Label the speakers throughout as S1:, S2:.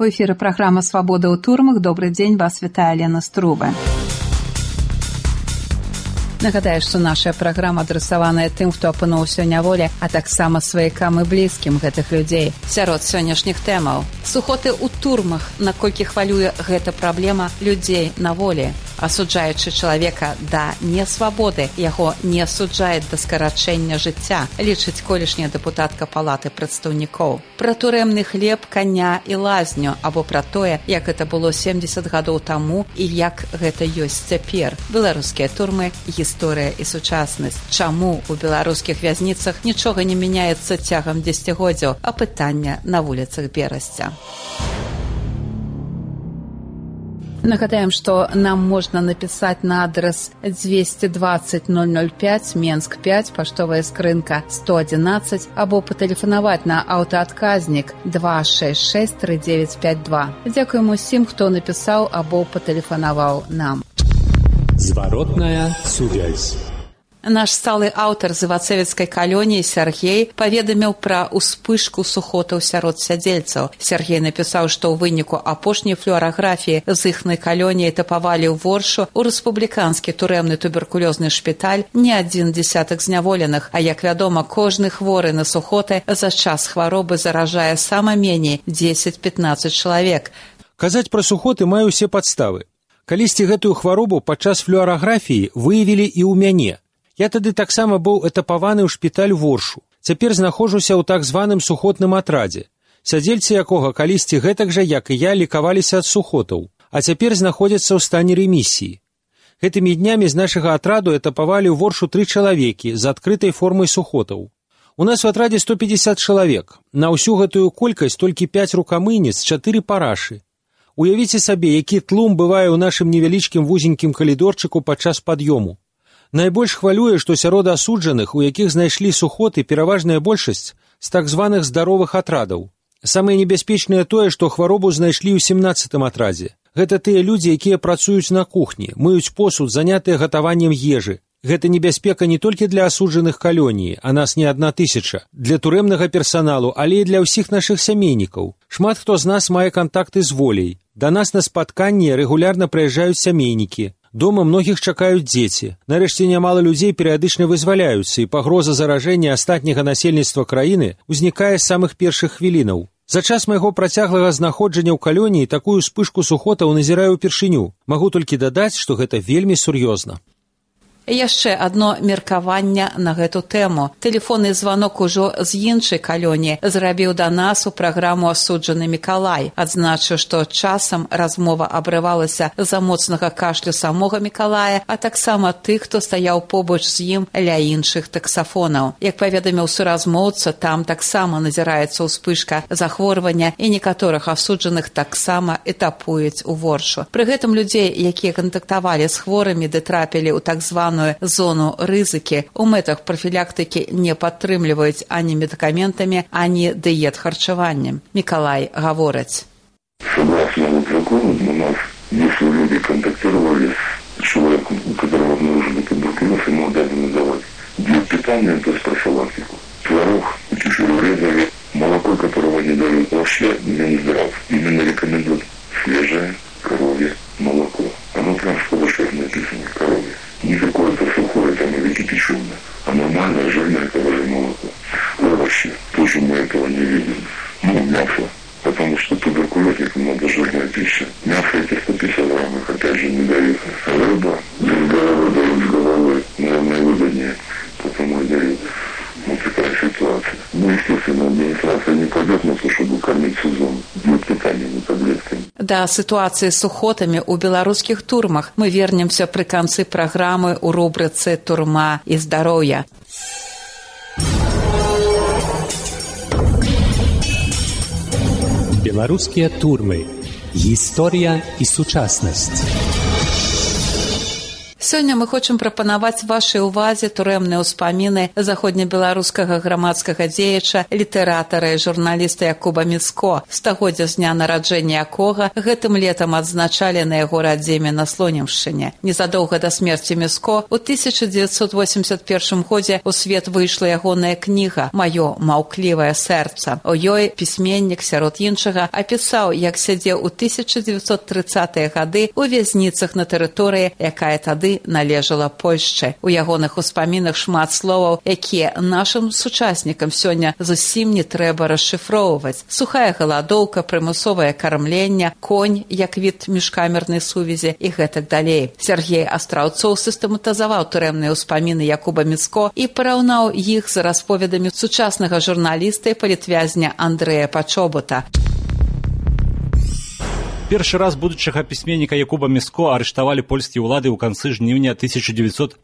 S1: У эфіры праграма «Свабода ў турмах». Добры дзень, вас вітае Лена Струба. Нагадаю, што наша праграма адрасаваная тым, хто апынуўся ў няволі, а таксама сваякам і блізкім гэтых людзей. Сярод сённяшніх тэмаў. Сухоты ў турмах, наколькі хвалюе гэта праблема людзей на волі. Асуджаючы чалавека да несвабоды, яго не асуджаюць да скарачэння жыцця, лічыць колішняя дэпутатка палаты прадстаўнікоў. Пра турэмны хлеб, каня і лазню, або пра тое, як гэта было 70 гадоў таму і як гэта ёсць цяпер. Беларускія турмы, гісторыя і сучаснасць. Чаму у беларускіх вязніцах нічога не мяняецца цягам дзесяцігоддзяў, а пытання на вуліцах Берасця. Нагадаем, што нам можна напісаць на адрес 220 005, Менск 5, паштовая скрынка 111, або патэлефанаваць на аўтаадказнік 266 3952. Дзякуем усім, хто напісаў або патэлефанаваў нам.
S2: Зваротная сувязь.
S1: Наш сталы аўтар з івацевіцкай калоніі Сяргей паведаміў пра ўспышку сухотаў сярод сядзельцаў. Сяргей напісаў, што ў выніку апошняй флюараграфіі з іхнай калоніі тапавалі ў Воршу ў рэспубліканскі турэмны туберкулёзны шпіталь не адзін дзесятак зняволеных, а як вядома, кожны хворы на сухоты за час хваробы заражае сама меней 10-15 чалавек.
S3: Казаць пра сухоты маю ўсе падставы. Калісьці гэтую хваробу падчас флюараграфіі выявілі і ў мяне. Я тады таксама быў этапаваны ў шпіталь Воршу. Цяпер знаходжуся ў так званым сухотным атрадзе, сядзельцы якога калісьці гэтак жа, як і я, лікаваліся ад сухотаў, а цяпер знаходзяцца ў стане ремісіі. Гэтымі днямі з нашага атраду этапавалі ў Воршу 3 чалавекі з адкрытай формай сухотаў. У нас у атрадзе 150 чалавек. На ўсю гэтую колькасць толькі 5 рукамыйніц, 4 парашы. Уявіце сабе, які тлум бывае ў нашым невялічкім вузенькім калідорчыку падчас пад'ёму. Найбольш хвалюе, што сярод асуджаных, у якіх знайшлі сухоты, пераважная большасць з так званых здаровых атрадаў. Самае небяспечнае тое, што хваробу знайшлі ў 17-м атрадзе. Гэта тыя людзі, якія працуюць на кухні, мыюць посуд, занятыя гатаваннем ежы. Гэта небяспека не толькі для асуджаных калоніі, а нас не 1000, для турэмнага персаналу, але і для ўсіх нашых сямейнікаў. Шмат хто з нас мае кантакты з воляй. Да нас на спатканні рэгулярна прыязджаюць сямейнікі. Дома многіх чакаюць дзеці. Нарэшце нямала людзей перыядычна вызваляюцца, і пагроза заражэння астатняга насельніцтва краіны ўзнікае з самых першых хвілінаў. За час майго працяглага знаходжання ў калоніі такую ўспышку сухотаў назіраю ўпершыню. Магу толькі дадаць, што гэта вельмі сур'ёзна.
S1: Яшчэ адно меркаванне на гэту тэму. Тэлефонны званок ужо з іншай калоніі зрабіў да нас у праграму асуджаны Мікалай. Адзначыў, што часам размова абрывалася з-за моцнага кашлю самога Мікалая, а таксама тых, хто стаяў побач з ім ля іншых таксафонаў. Як паведаміў суразмоўца, там таксама назіраецца ўспышка захворвання, і некаторых асуджаных таксама этапуюць у Воршу. Пры гэтым людзей, якія кантактавалі з хворымі ды трапілі ў так званую зону рызыкі, у мэтах профілактыкі не падтрымліваюць ані медыкаментамі, ані дыет-харчаваннем. Мікалай гаворыць.
S4: Согласно закону, у нас, если люди контактировали с человеком, у которого обнаружили туберкулез, ему обязаны давать диет питания, то есть профилактику. Творог, чешуекрылья, молоко, которого не дают вообще, не здрав. Именно рекомендуют свежее коровье молоко. Оно прям в полошах написано, коровье. Не какое-то сухое там или кипяченое, а нормальное жирное коровье молоко. Овощи, тоже мы этого не видим. Мясо, потому что туберкулезникам надо жирная пища. Мясо эти 150 грамм, их опять же не дают. Рыба, без головы дают, с головой, наверное, выгоднее, потому и дают. Вот такая ситуация. Ну, естественно, администрация не пойдет на то, чтобы кормить сезон. Нет питания, не таблетками.
S1: Да ситуацыі з сухотамі ў беларускіх турмах мы вернемся пры канцы праграмы ў рубрыцы «Турма і здароўя».
S2: Беларускія турмы. Гісторыя і сучаснасць.
S1: Сёння мы хочам прапанаваць вашай увазе турэмныя ўспаміны заходнебеларускага грамадскага дзеяча, літаратара і журналіста Якуба Міцко, стагоддзя з дня нараджэння якога гэтым летам адзначалі на яго радзіме на Слонімшчыне. Незадоўга да смерці Міцко у 1981 годзе у свет выйшла ягоная кніга «Маё маўклівае сэрца». У ёй пісьменнік, сярод іншага, апісаў, як сядзеў у 1930-е гады ў вязніцах на тэрыторыі, якая тады належала Польшчы. У ягоных успамінах шмат словаў, якія нашым сучаснікам сёння зусім не трэба расшыфроўваць. Сухая галадоўка, прымусовае кармленне, конь як від міжкамернай сувязі і гэтак далей. Сергей Астраўцоў сістэматызаваў турэмныя ўспаміны Якуба Міцко і параўнаў іх з расповедамі сучаснага журналіста і палітвязня Андрэя Пачобута.
S5: Першы раз будучага пісьменніка Якуба Міцко арыштавалі польскія ўлады ў канцы жніўня 1929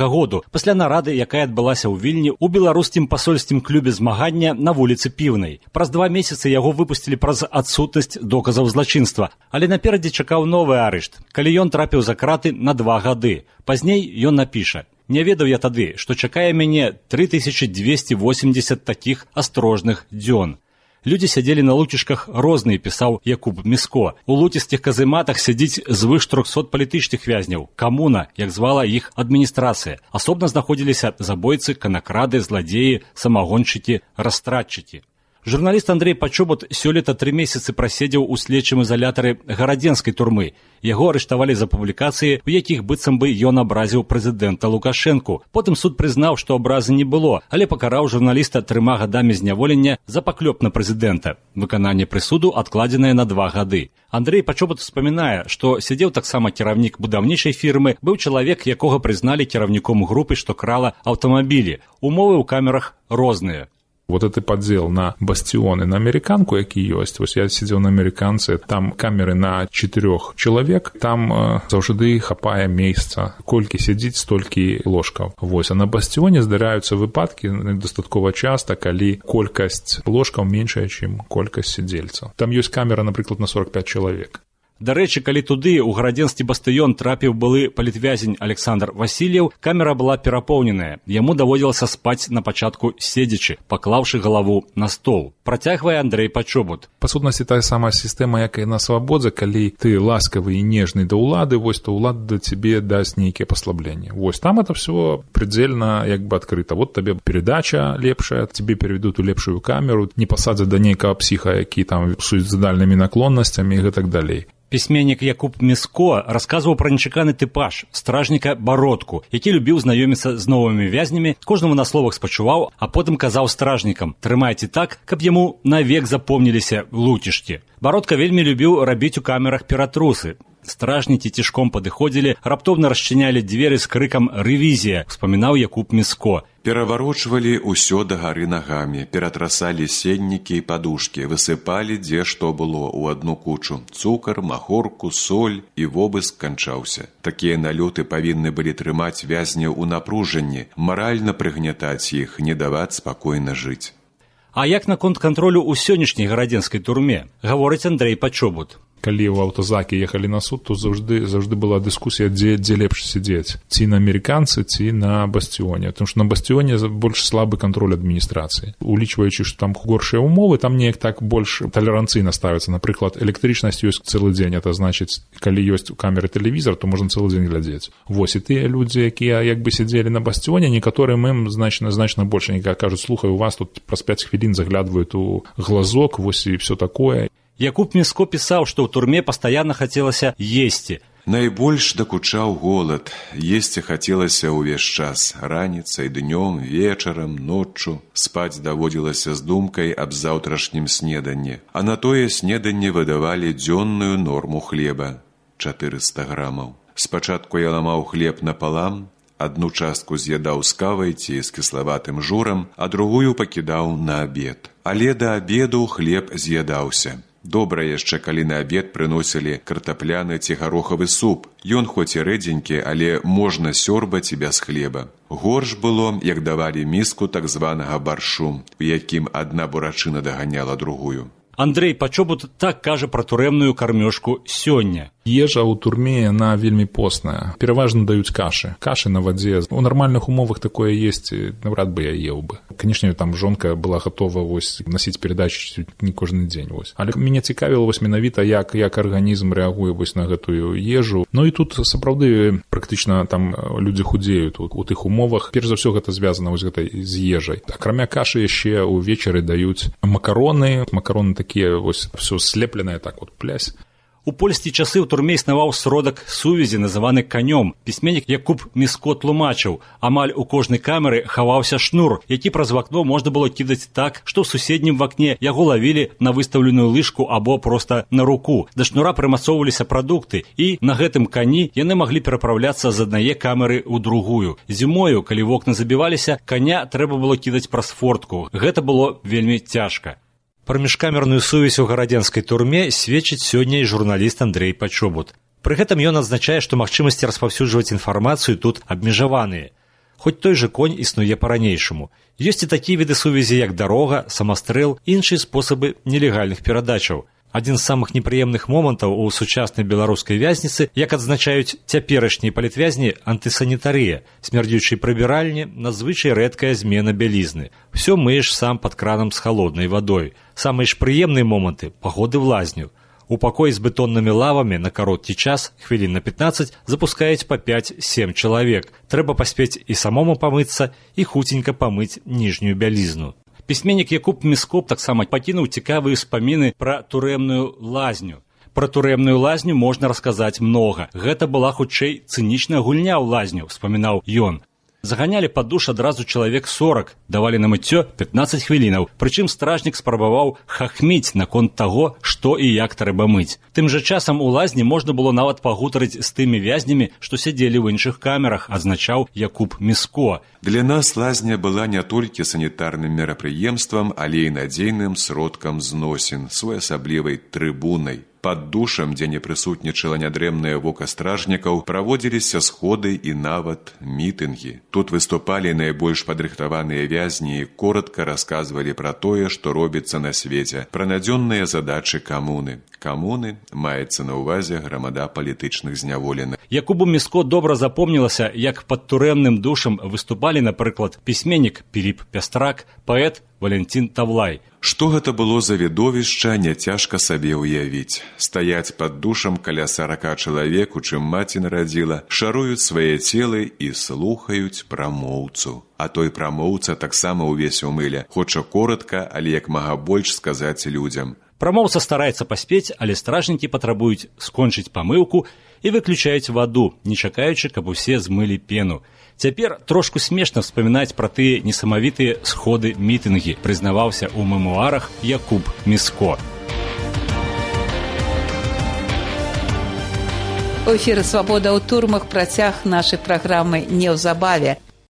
S5: году, пасля нарады, якая адбылася ў Вільні ў беларускім пасольскім клубе змагання на вуліцы Піўнай. Праз 2 месяцы яго выпусцілі праз адсутнасць доказаў злачынства, але наперадзе чакаў новы арышт, калі ён трапіў за краты на 2 гады. Пазней ён напіша: «Не ведаў я тады, што чакае мяне 3280 такіх астрожных дзён». Людзі сядзелі на луцішках розныя, пісаў Якуб Міцко. У луцістых казематах сядзіць звыш 300 палітычных вязняў. Камуна, як звала іх адміністрацыя. Асобна знаходзіліся забойцы, канакрады, зладзеі, самагоншчыкі, растратчыкі. Журналіст Андрэй Пачобут сёлета 3 месяцы праседзеў у следчым изолятары гарадзенскай турмы. Яго арыштавалі за публікацыі, у якіх быццам бы ён абразіў прэзідэнта Лукашэнку. Потым суд прызнаў, што абразы не было, але пакараў журналіста 3 гадамі зняволення за паклёп на прэзідэнта. Выкананне прысуду адкладзенае на 2 гады. Андрэй Пачобут успамінае, што сядзеў таксама кіраўнік будаўнічай фірмы, быў чалавек, якога прызналі кіраўніком групы, што крала аўтамабілі. Умовы ў камерах розныя.
S6: Вот это поддел на бастионы, на американку, які ёсць. Вось я сидел на американцы, там камеры на 4 чалавек, там заўжды хапае месца. Колькі сядзіць, столькі ложкаў. Вось, а на бастионе здараюцца выпадкі дастаткова часта, калі колькасць ложкаў меншая, чым колькасць сядзельцаў. Там ёсць камера, напрыклад, на 45 чалавек.
S5: Дарэчы, калі туды ў гарадзенскі бастыён трапіў былы палітвязень Александр Васильев, камера была перапоўненая. Яму даводзілася спаць на пачатку седзячы, паклаўшы галаву на стол. Працягвае Андрэй Пачобут.
S6: Па сутнасці, тая самая сістэма, як і на свабодзе, калі ты ласкавы і нежны да ўлады, вось, то ўлада да цябе дасць нейкія паслабленні. Вось, там это все предельно як бы адкрыта. Вот табе передача лепшая, тебе переведут у лепшую камеру, не пасадзяць да нейкага псіха, які там суіцыдальнымі наклоннасцямі і гэтак далей.
S5: Пісьменнік Якуб Міцко расказваў пра нечаканы тыпаж стражніка Бародку, які любіў знаёміцца з новымі вязнямі, кожнаму на словах спачуваў, а потым казаў стражнікам: «Трымайце так, каб яму навек запомніліся луцішкі». Бародка вельмі любіў рабіць у камерах ператрусы. Стражнікі цішком падыходзілі, раптоўна расчынялі дзверы з крыкам «Рэвізія», успамінаў Якуб Міцко.
S7: Пераварочвалі ўсё дагары нагамі, ператрасалі сеннікі і падушкі, высыпалі дзе што было ў адну кучу. Цукар, махорку, соль, і вобыск канчаўся. Такія налёты павінны былі трымаць вязняў у напружанні, маральна прыгнятаць іх, не даваць спакойна жыць.
S5: А як наконт кантролю ў сённяшняй гарадзенскай турме, гаворыць Андрэй Пачобут.
S6: Калі ў аўтазакі ехалі на суд, то заўжды была дыскусія, дзе лепш сядзець. Ці на амерыканцы, ці на бастионе. Потому што на бастионе больш слабы кантроль адміністрацыі. Улічваючы, што там горшыя умовы, там неяк так больш талеранцыйна ставіцца. Напрыклад, электрычнасць ёсць цэлы дзень. Это значыць, калі ёсць у камеры тэлевізор, то можна цэлы дзень глядзець. Вось, і тыя людзі, якія як бы сядзелі на бастионе, некаторым ім значна больш. Некаторыя кажуць: «Слухай, у вас тут праз 5 хвілін заглядваюць у глазок, вось і все такое».
S5: Якуб Міцко пісаў, што ў турме пастаянна хацелася есці.
S7: Найбольш дакучаў голад. Есці хацелася ўвесь час. Раніцай, днём, вечарам, ноччу. Спаць даводзілася з думкай аб заўтрашнім снеданні. А на тое снеданне выдавалі дзённую норму хлеба – 400 грамаў. Спачатку я ламаў хлеб напалам, адну частку з'ядаў з кавай ці з кіславатым журам, а другую пакідаў на абед. Але да абеду хлеб з'ядаўся. Добра яшчэ, калі на абед прыносілі картапляны ці гарохавы суп. Ён хоць і рэдзенькі, але можна сёрбаць і без хлеба. Горш было, як давалі міску так званага баршу, у якім адна бурачына даганяла другую.
S5: Андрэй Пачобут так кажа пра турэмную кармёжку сёння.
S6: Ежа ў турме, яна вельмі постная. Пераважна даюць кашы. Кашы на вадзе. У нармальных умовах такое есть, навряд бы я еў бы. Канешне, там жонка была гатова насіць перадачу не кожны дзень. Але мяне цікавіла менавіта, як арганізм рэагуе на гэтую ежу. Ну і тут сапраўды практычна там людзі худзеюць у тых умовах. Перш за ўсё гэта звязана з ежай. Акрамя кашы яшчэ ўвечары даюць макароны. Макароны такія все слепленае так плясь.
S5: У польскія часы ў турме існаваў сродак сувязі, называны канём. Пісьменнік Якуб Міско тлумачыў, амаль у кожнай камеры хаваўся шнур, які праз вакно можна было кідаць так, што ў суседнім вакне яго лавілі на выстаўленую лыжку або проста на руку. Да шнура прымацоўваліся прадукты, і на гэтым кані яны маглі перапраўляцца з аднае камеры ў другую. Зімою, калі вокны забіваліся, каня трэба было кідаць праз фортку. Гэта было вельмі цяжка. Пра міжкамерную сувязь у гарадзенскай турме сведчыць сёння і журналіст Андрэй Пачобут. Пры гэтым ён адзначае, што магчымасці распаўсюджваць інфармацыю тут абмежаваныя. Хоць той жа конь існуе па-ранейшаму. Ёсць і такія віды сувязі, як дарога, самастрэл, іншыя спосабы нелегальных перадачаў. Адзін з самых непрыемных момантаў у сучаснай беларускай вязніцы, як адзначаюць цяперашнія палітвязні, антысанітарыя, смярдзючай прыбіральні, надзвычай рэдкая змена бялізны. Усё мыеш сам пад кранам з халоднай вадой. Самыя ж прыемныя моманты – паходы в лазню. У пакоі з бетоннымі лавамі на кароткі час, хвілін на 15, запускаюць па 5-7 чалавек. Трэба паспець і самому памыцца, і хуценька памыць ніжнюю бялізну. Пісьменнік Якуб Міско таксама пакінуў цікавыя ўспаміны пра турэмную лазню. Пра турэмную лазню можна расказаць многа. Гэта была хутчэй цынічная гульня ў лазню, успамінаў ён. Заганялі пад душ адразу чалавек 40, давалі на мыццё 15 хвілінаў, прычым стражнік спрабаваў хахміць наконт таго, што і як трэба мыць. Тым жа часам у лазні можна было нават пагутарыць з тымі вязнямі, што сядзелі ў іншых камерах, адзначаў Якуб Міско.
S7: Для нас лазня была не толькі санітарным мерапрыемствам, але і надзейным сродкам зносін, своеасаблівай трыбунай. Пад душам, дзе не прысутнічала нядрэмнае вока стражнікаў, праводзіліся сходы і нават мітынгі. Тут выступалі найбольш падрыхтаваныя вязні і коратка расказвалі пра тое, што робіцца на свеце, пра надзённыя задачы камуны. Камуны маецца на ўвазе грамада палітычных зняволеных.
S5: Якубу Міско добра запомнілася, як пад турэмным душам выступалі, напрыклад, пісьменнік Піліп Пястрак, паэт Валентин Тавлай.
S7: Што гэта было за відовішча, няцяжка сабе ўявіць. Стаяць пад душам каля 40 чалавек, у чым маці нарадзіла, шаруюць свае целы і слухаюць прамоўцу. А той прамоўца таксама ўвесь у мыле, хоча коратка, але як мага больш сказаць людзям.
S5: Прамоўца стараецца паспець, але стражнікі патрабуюць скончыць памыўку і выключаюць ваду, не чакаючы, каб усе змылі пену. Цяпер трошку смешна вспамінаць пра тыя несамавітыя сходы мітынгі, прызнаваўся ў мемуарах Якуб Міско.
S1: У эфіры «Свабода ў турмах» працяг нашай праграмы неўзабаве.